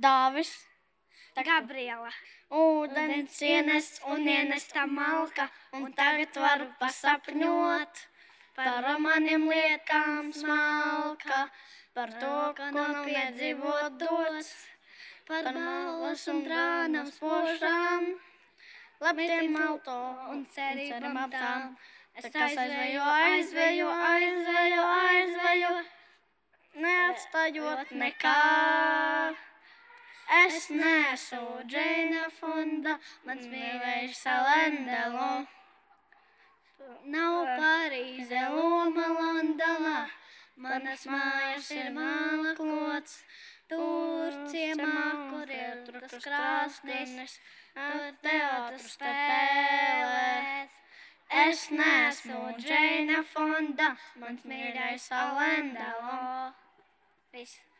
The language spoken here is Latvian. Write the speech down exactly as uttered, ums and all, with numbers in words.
Dāvis. Gabriela. Ūdens ienes un ienesta malka, un tagad varu pasapņot par maniem liekām smalka, par to, ko nav piedzīvot dots, par balvas un brānam spožām, labtiem auto un cerībām tām. Es aizveju, aizveju, aizveju, aizveju, neatstājot nekā. Es neesmu Džeina Fonda, mans mīļais Alendelo. Nav Parīze, Loma, Londonā, manas mājas ir māla klots. Tur ciemā, kur ir trukas krāsnis, tur teātris spēlēs. Es neesmu Džeina Fonda, mans mīļais Alendelo. Viss.